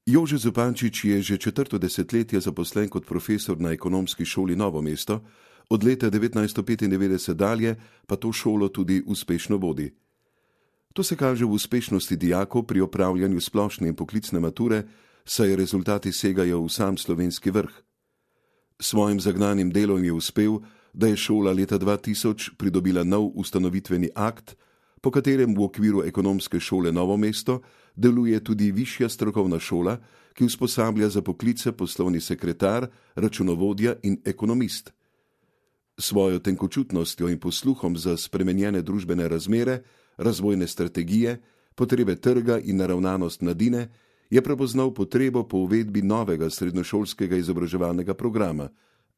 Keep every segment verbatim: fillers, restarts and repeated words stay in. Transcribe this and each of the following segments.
Jože Zupančič je že četrto desetletje zaposlen kot profesor na Ekonomski šoli Novo mesto, od leta devetnajststo petindevetdeset dalje pa to šolo tudi uspešno vodi. To se kaže v uspešnosti dijakov pri opravljanju splošne in poklicne mature, saj rezultati segajo v sam slovenski vrh. Svojim zagnanim delom je uspel, da je šola leta dva tisoč pridobila nov ustanovitveni akt, po katerem v okviru Ekonomske šole Novo mesto deluje tudi višja strokovna šola, ki usposablja za poklice poslovni sekretar, računovodja in ekonomist. Svojo tenkočutnostjo in posluhom za spremenjene družbene razmere, razvojne strategije, potrebe trga in naravnanost mladine je prepoznal potrebo po uvedbi novega srednješolskega izobraževalnega programa,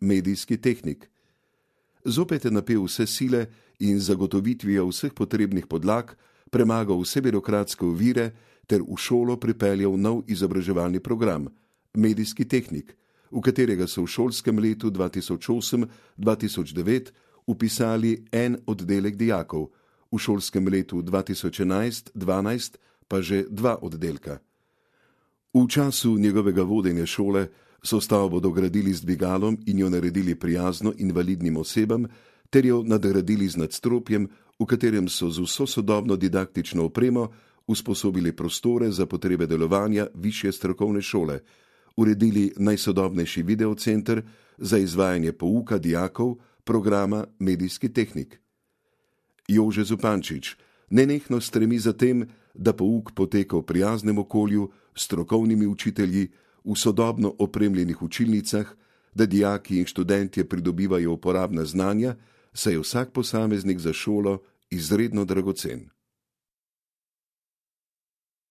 medijski tehnik. Zopet je napel vse sile in zagotovitvijo vseh potrebnih podlag premagal vse birokratske ovire ter v šolo pripeljal nov izobraževalni program, medijski tehnik, v katerega so v šolskem letu dva tisoč osem dva tisoč devet vpisali en oddelek dijakov, v šolskem letu dva tisoč enajst dvanajst pa že dva oddelka. V času njegovega vodenja šole so stavbo dogradili z dvigalom in jo naredili prijazno invalidnim osebam ter jo nadgradili z nadstropjem, v katerem so z vso sodobno didaktično opremo usposobili prostore za potrebe delovanja višje strokovne šole, uredili najsodobnejši videocenter za izvajanje pouka dijakov programa medijski tehnik. Jože Zupančič nenehno stremi za tem, da pouk poteka v prijaznem okolju, s strokovnimi učitelji, v sodobno opremljenih učilnicah, da dijaki in študentje pridobivajo uporabna znanja, saj je vsak posameznik za šolo izredno dragocen.